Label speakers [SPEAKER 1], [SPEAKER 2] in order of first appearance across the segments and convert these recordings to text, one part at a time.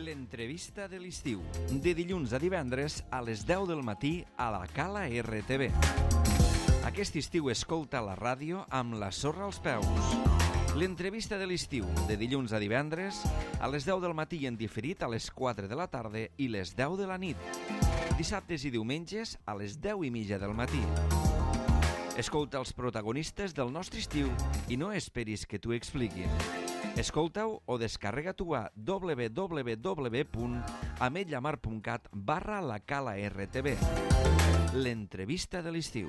[SPEAKER 1] L'entrevista de l'estiu, de dilluns a divendres a les 10 del matí a la Cala RTV. Aquest estiu escolta la ràdio amb la sorra als peus. L'entrevista de l'estiu, de dilluns a divendres a les 10 del matí en diferit a les 4 de la tarda i les 10 de la nit. Dissabtes i diumenges a les 10:30 del matí. Escolta els protagonistes del nostre estiu i no esperis que t'ho expliquin. Escolta-ho o descarrega-t'ho a www.ametlllamar.cat/la Cala RTV. L'entrevista de l'estiu.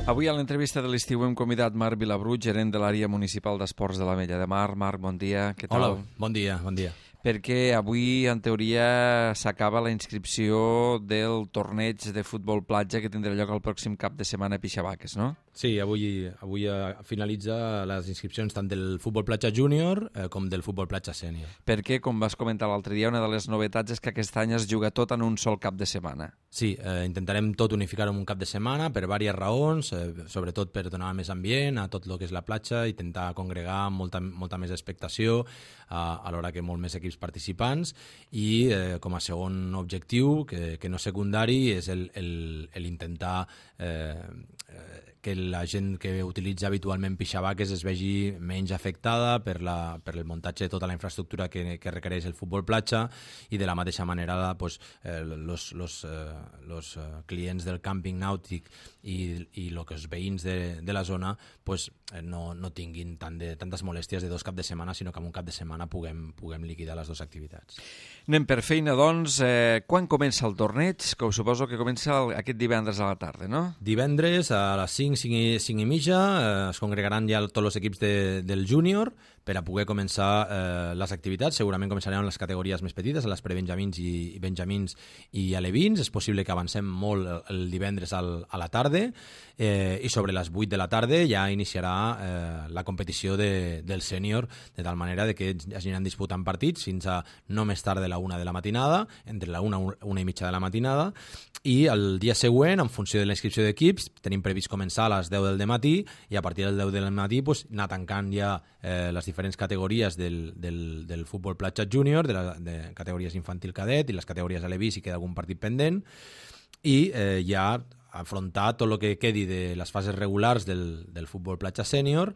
[SPEAKER 1] Avui a l'entrevista de l'estiu hem convidat Marc Vilabrut, gerent de l'àrea municipal d'esports de l'Ametlla de Mar. Marc, bon dia. Què tal?
[SPEAKER 2] Hola, bon dia, bon dia.
[SPEAKER 1] Perquè avui, en teoria, s'acaba la inscripció del torneig de futbol platja que tindrà lloc el pròxim cap de setmana a Pixavaques, no?
[SPEAKER 2] Sí, avui finalitza les inscripcions tant del futbol platja júnior com del futbol platja sènior.
[SPEAKER 1] Perquè, com vas comentar l'altre dia, una de les novetats és que aquest any es juga tot en un sol cap de setmana.
[SPEAKER 2] Sí, intentarem tot unificar en un cap de setmana per diverses raons, sobretot per donar més ambient a tot el que és la platja, intentar congregar molta més expectació alhora que molt més equips participants i com a segon objectiu, que no secundari, és l'intentar que la gent que utilitza habitualment Pixavaques es vegi menys afectada per el muntatge de tota la infraestructura que requereix el futbol platja i de la mateixa manera los clients del càmping nàutic i els veïns de la zona no tinguin tantes molèsties de dos caps de setmana, sinó que en un cap de setmana puguem liquidar les dues activitats.
[SPEAKER 1] Anem per feina, doncs. Quan comença el torneig? Que suposo que comença aquest divendres a la tarda, no?
[SPEAKER 2] Divendres a les 5:30 es congregaran ja tots els equips del júnior per a poder començar les activitats. Segurament començarem amb les categories més petites, a les prebenjamins i benjamins i alevins. És possible que avancem molt el divendres a la tarda i sobre les 8 de la tarda ja iniciarà la competició del sènior, de tal manera que es aniran disputant partits fins a no més tard de la 1 de la matinada, entre la 1:30 de la matinada, i el dia següent, en funció de la inscripció d'equips, tenim previst començar a les 10 del matí i a partir del 10 del matí anar tancant ja les diferents categories del futbol platja júnior, de categories infantil cadet i les categories alevis, si queda algun partit pendent, i ja afrontar tot el que quedi de les fases regulars del futbol platja sènior,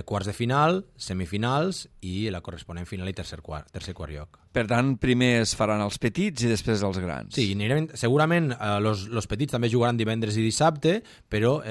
[SPEAKER 2] quarts de final, semifinals i la corresponent final i tercer quart lloc.
[SPEAKER 1] Per tant, primer es faran els petits i després els grans.
[SPEAKER 2] Sí, segurament els petits també jugaran divendres i dissabte, però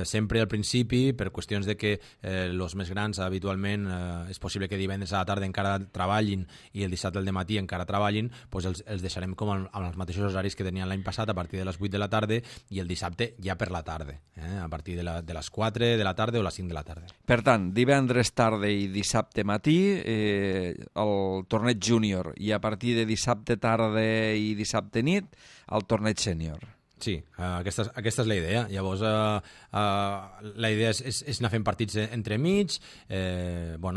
[SPEAKER 2] sempre al principi, per qüestions de que els més grans habitualment és possible que divendres a la tarda encara treballin i el dissabte al dematí encara treballin, doncs els deixarem com amb els mateixos horaris que tenien l'any passat, a partir de les 8 de la tarda i el dissabte ja per la tarda, a partir de les 4 de la tarda o les 5 de la tarda.
[SPEAKER 1] Per tant, divendres tarda i dissabte matí el torneig júnior i a partir de dissabte tarda i dissabte nit el torneig sènior.
[SPEAKER 2] Sí, aquesta és la idea. Llavors, la idea és anar fent partits entremig. Un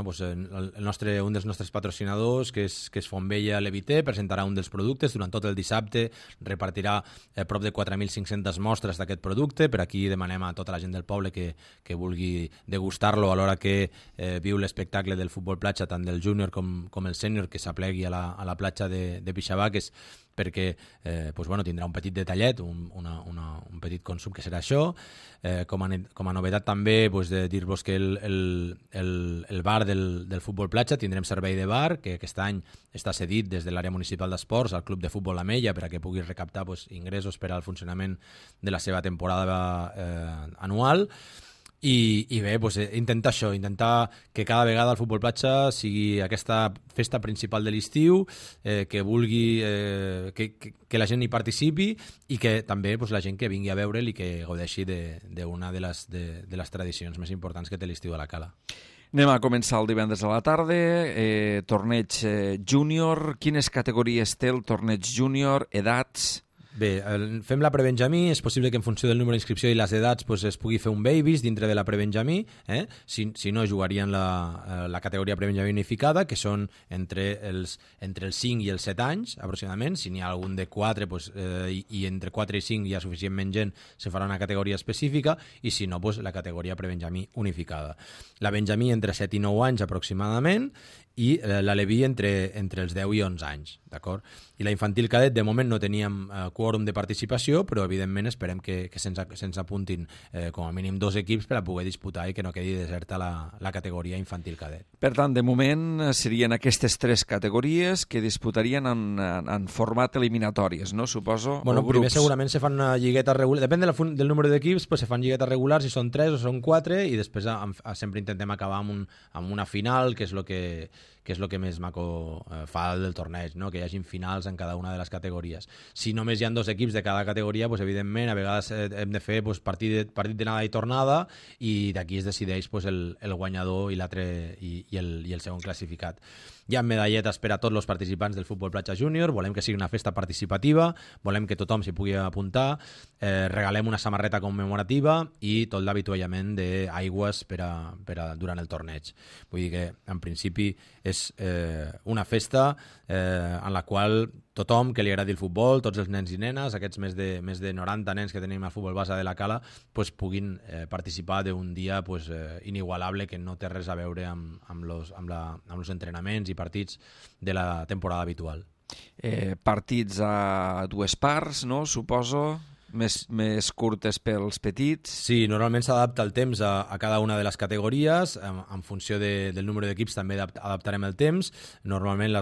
[SPEAKER 2] dels nostres patrocinadors, que és Fontvella Levité, presentarà un dels productes. Durant tot el dissabte repartirà prop de 4.500 mostres d'aquest producte. Per aquí demanem a tota la gent del poble que vulgui degustar-lo a l'hora que viu l'espectacle del futbol platja, tant del júnior com el sènior, que s'aplegui a la platja de Pixavaques, perquè tindrà un petit detallet, un petit consum que serà això. Com a novetat també de dir-vos que el bar del futbol platja tindrem servei de bar, que aquest any està cedit des de l'àrea municipal d'esports al Club de Futbol Ametlla per a que pugui recaptar ingressos per al funcionament de la seva temporada anual. I bé, intentar que cada vegada el futbol platja sigui aquesta festa principal de l'estiu, que vulgui que la gent hi participi i que també la gent que vingui a veure'l i que gaudeixi d'una de les tradicions més importants que té l'estiu a la Cala.
[SPEAKER 1] Anem a començar el divendres a la tarda, torneig júnior. Quines categories té el torneig júnior, edats?
[SPEAKER 2] Bé, fem la prebenjamí, és possible que en funció del número d'inscripció i les edats pues, es pugui fer un babies dintre de la prebenjamí, si no jugarien la categoria prebenjamí unificada, que són entre els 5 i els 7 anys, aproximadament. Si n'hi ha algun de 4 pues, i entre 4 i 5 hi ha suficientment gent, se farà una categoria específica, i si no, pues, la categoria prebenjamí unificada. La benjamí entre 7 i 9 anys aproximadament, i l'aleví entre els 10 i 11 anys, d'acord? I la infantil cadet, de moment no teníem quòrum de participació, però evidentment esperem que se'ns apuntin com a mínim 2 equips per a poder disputar i que no quedi deserta la categoria infantil cadet.
[SPEAKER 1] Per tant, de moment serien aquestes 3 categories que disputarien en format eliminatòries, no? Suposo,
[SPEAKER 2] bueno,
[SPEAKER 1] o grups.
[SPEAKER 2] Primer segurament se fan una lligueta regular, depèn del número d'equips, pues se fan lliguetes regulars, si són 3 o són 4, i després sempre intentem acabar amb una final, que és el que més maco fa del torneig, no? Que hi hagin finals en cada una de les categories. Si només hi ha 2 equips de cada categoria, pues, evidentment, a vegades hem de fer pues, partit d'anada i tornada, i d'aquí es decideix pues, el guanyador i l'altre i el segon classificat. Hi ha medalletes per a tots els participants del futbol platja júnior, volem que sigui una festa participativa, volem que tothom s'hi pugui apuntar, regalem una samarreta commemorativa i tot l'avituallament d'aigües durant el torneig. Vull dir que, en principi, és una festa en la qual tothom que li agradi el futbol, tots els nens i nenes, aquests més de 90 nens que tenim al futbol base de la Cala, pues, puguin participar d'un dia pues, inigualable que no té res a veure amb els entrenaments i partits de la temporada habitual.
[SPEAKER 1] Partits a 2 parts, no? Suposo, més curtes pels petits.
[SPEAKER 2] Sí, normalment s'adapta el temps a cada una de les categories, en funció del número d'equips també adaptarem el temps. Normalment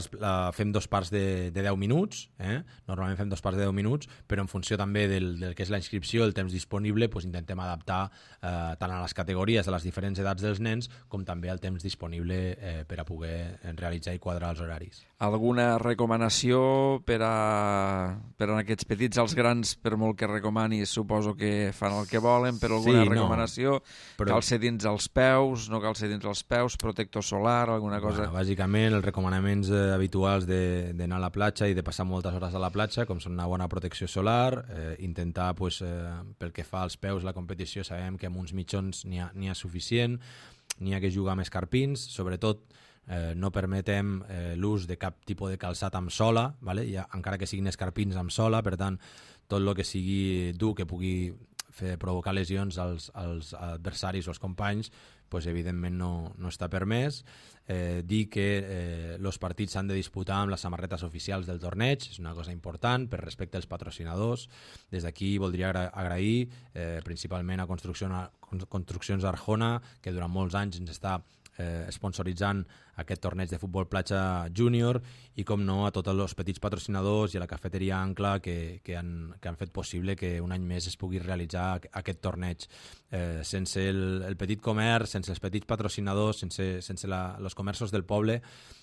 [SPEAKER 2] fem 2 parts de 10 minuts, normalment fem 2 parts de 10 minuts, però en funció també del que és la inscripció, el temps disponible, pues intentem adaptar tant a les categories, a les diferents edats dels nens, com també al temps disponible per a poder realitzar i quadrar els horaris.
[SPEAKER 1] Alguna recomanació per a aquests petits? Els grans, per molt que recomanis, suposo que fan el que volen, però alguna recomanació? Però... Cal ser dins els peus, no cal ser dins els peus, protector solar, alguna cosa?
[SPEAKER 2] Bueno, bàsicament, els recomanaments habituals d'anar a la platja i de passar moltes hores a la platja, com són una bona protecció solar, intentar, pues, pel que fa als peus, la competició, sabem que amb uns mitjons n'hi ha suficient, n'hi ha que jugar amb escarpins, sobretot no permetem l'ús de cap tipus de calçat amb sola, vale? Encara que siguin escarpins amb sola, per tant, tot el que sigui dur, que pugui provocar lesions als adversaris o als companys, pues, evidentment no està permès. Dir que els partits s'han de disputar amb les samarretes oficials del torneig, és una cosa important per respecte als patrocinadors. Des d'aquí voldria agrair principalment a Construccions Arjona, que durant molts anys ens està sponsoritzant aquest torneig de futbol platja júnior, i com no a tots els petits patrocinadors i a la cafeteria Ancla que han fet possible que un any més es pugui realitzar aquest torneig. Sense el petit comerç, sense els petits patrocinadors, sense els comerços del poble,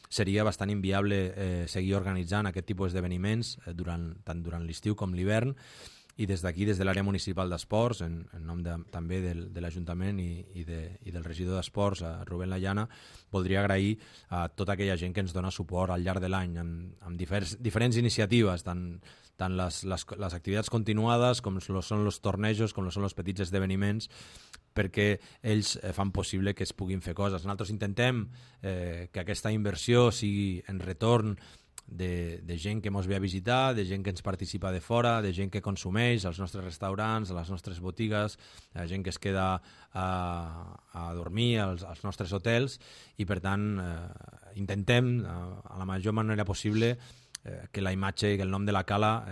[SPEAKER 2] seria bastant inviable seguir organitzant aquest tipus d'esdeveniments tant durant l'estiu com l'hivern. I des d'aquí, des de l'àrea municipal d'esports, en nom també de l'Ajuntament i del regidor d'esports, a Rubén Layana, voldria agrair a tota aquella gent que ens dona suport al llarg de l'any amb diferents iniciatives, tant les activitats continuades com són els tornejos, com són els petits esdeveniments, perquè ells fan possible que es puguin fer coses. Nosaltres intentem que aquesta inversió sigui en retorn de gent que ens ve a visitar, de gent que ens participa de fora, de gent que consumeix als nostres restaurants, a les nostres botigues, gent que es queda a dormir als nostres hotels, i per tant intentem a la major manera possible que la imatge i que el nom de la Cala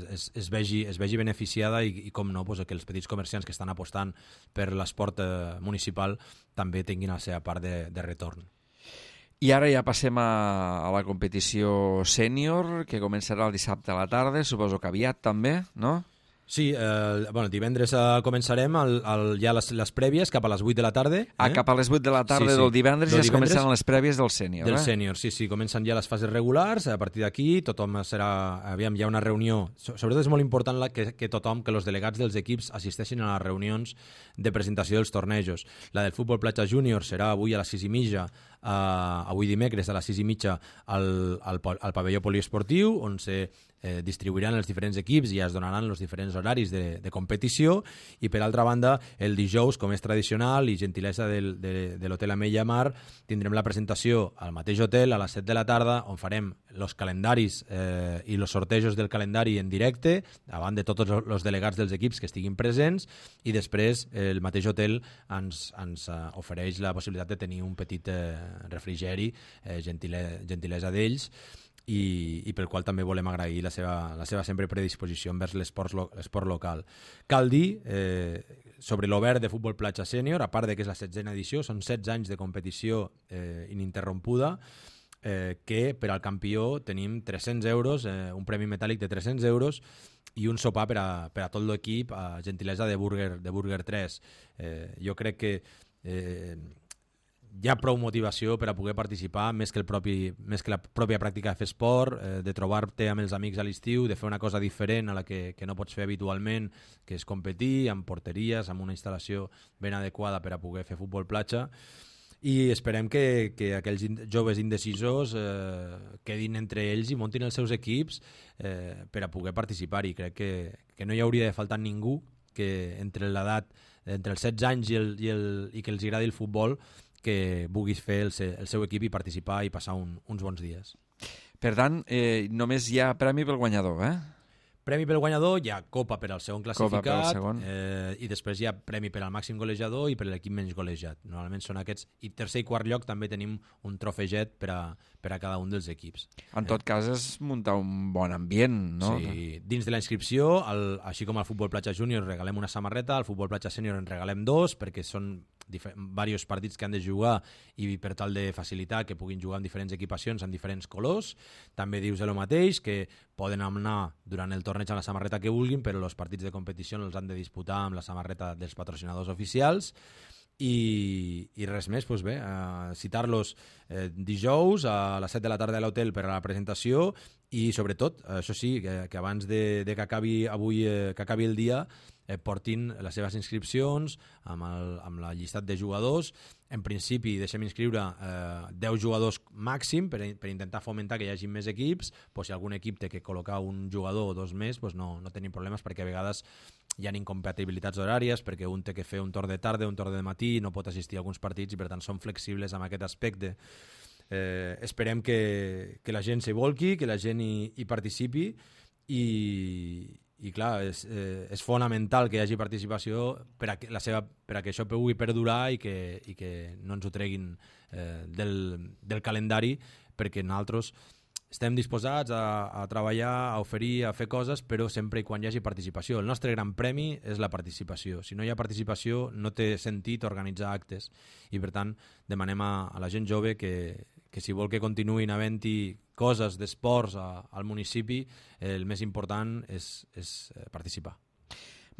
[SPEAKER 2] es vegi beneficiada i com no, pues, que els petits comerciants que estan apostant per l'esport municipal també tinguin la seva part de retorn.
[SPEAKER 1] I ara ja passem a la competició sènior, que començarà el dissabte a la tarda, suposo que aviat també, no?
[SPEAKER 2] Sí, divendres començarem ja les prèvies cap a les 8 de la tarda.
[SPEAKER 1] Cap a les 8 de la tarda del divendres ja es comencen les prèvies del sènior.
[SPEAKER 2] Del sènior, sí, comencen ja les fases regulars. A partir d'aquí tothom serà... Aviam, hi ha una reunió. Sobretot és molt important que tothom, que els delegats dels equips assisteixin a les reunions de presentació dels tornejos. La del futbol platja júnior serà avui a les 6:30 avui dimecres a les 6:30 al pavelló poliesportiu, on se distribuiran els diferents equips i es donaran els diferents horaris de competició, i per altra banda el dijous, com és tradicional i gentilesa de l'Hotel Ametlla Mar, tindrem la presentació al mateix hotel a les 7 de la tarda, on farem els calendaris i els sortejos del calendari en directe davant de tots els delegats dels equips que estiguin presents, i després el mateix hotel ens ofereix la possibilitat de tenir un petit refrigeri, gentilesa d'ells, i pel qual també volem agrair la seva sempre predisposició envers l'esport local. Cal dir, sobre l'Obert de Futbol Platja Sènior, a part de que és la 16a edició, són 16 anys de competició ininterrompuda, que per al campió tenim 300 euros, un premi metàl·lic de 300 euros i un sopar per a tot l'equip, a gentilesa de Burger 3. Jo crec que hi ha prou motivació per a poder participar, més que la pròpia pràctica de fer esport, de trobar-te amb els amics a l'estiu, de fer una cosa diferent a la que no pots fer habitualment, que és competir amb porteries, amb una instal·lació ben adequada per a poder fer futbol platja, i esperem que aquells joves indecisos quedin entre ells i muntin els seus equips per a poder participar-hi. Crec que no hi hauria de faltar ningú que entre l'edat, entre els 16 anys i que els agradi el futbol, que vulguis fer el seu equip i participar i passar uns bons dies.
[SPEAKER 1] Per tant, només hi ha premi pel guanyador,
[SPEAKER 2] Premi pel guanyador, hi ha copa per al segon classificat,
[SPEAKER 1] segon.
[SPEAKER 2] I després hi ha premi per al màxim golejador i per a l'equip menys golejat. Normalment són aquests, i tercer i quart lloc també tenim un trofeget per a cada un dels equips.
[SPEAKER 1] En tot cas és muntar un bon ambient, no?
[SPEAKER 2] Sí, dins de la inscripció, així com al Futbol Platja Júnior regalem una samarreta, al Futbol Platja Sènior en regalem 2, perquè són diversos partits que han de jugar i per tal de facilitar que puguin jugar amb diferents equipacions, amb diferents colors. També dius el mateix, que poden anar durant el torneig amb la samarreta que vulguin, però els partits de competició els han de disputar amb la samarreta dels patrocinadors oficials. I res més, doncs bé, citar-los dijous a les 7 de la tarda a l'hotel per a la presentació, i sobretot, això sí, que abans de que acabi avui, que acabi el dia, portin les seves inscripcions amb la llistat de jugadors. En principi deixem inscriure 10 jugadors màxim per intentar fomentar que hi hagi més equips. Si algun equip té que col·locar un jugador o dos més, no tenim problemes, perquè a vegades hi ha incompatibilitats horàries, perquè un té que fer un torn de tarda, un torn de matí, no pot assistir a alguns partits, i per tant són flexibles amb aquest aspecte. Esperem que la gent s'hi volqui, que la gent hi participi, i clar, és fonamental que hi hagi participació per a que això pugui perdurar i que no ens ho treguin del calendari, perquè nosaltres estem disposats a treballar, a oferir, a fer coses, però sempre i quan hi hagi participació. El nostre gran premi és la participació. Si no hi ha participació, no té sentit organitzar actes, i per tant demanem a la gent jove que si vol que continuïn havent-hi coses d'esports al municipi, el més important és participar.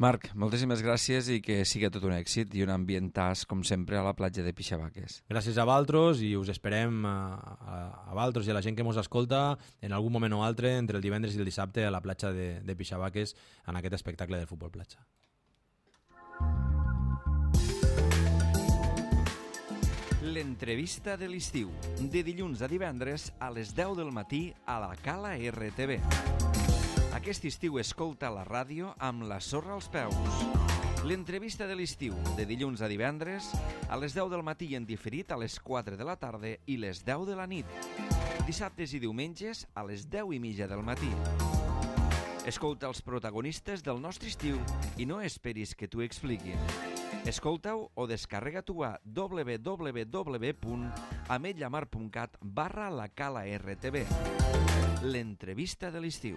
[SPEAKER 1] Marc, moltíssimes gràcies i que sigui tot un èxit i un ambientàs, com sempre, a la platja de Pixavaques.
[SPEAKER 2] Gràcies a vosaltres, i us esperem a vosaltres i a la gent que ens escolta en algun moment o altre entre el divendres i el dissabte a la platja de Pixavaques en aquest espectacle de futbol platja.
[SPEAKER 1] L'entrevista de l'estiu, de dilluns a divendres a les 10 del matí a la Cala RTV. Aquest estiu escolta la ràdio amb la sorra als peus. L'entrevista de l'estiu, de dilluns a divendres a les 10 del matí i en diferit a les 4 de la tarda i les 10 de la nit. Dissabtes i diumenges a les 10:30 del matí. Escolta els protagonistes del nostre estiu i no esperis que t'ho expliquin. Escolta-ho o descarrega-t'ho a www.ametlamar.cat/la Cala RTV. L'entrevista de l'estiu.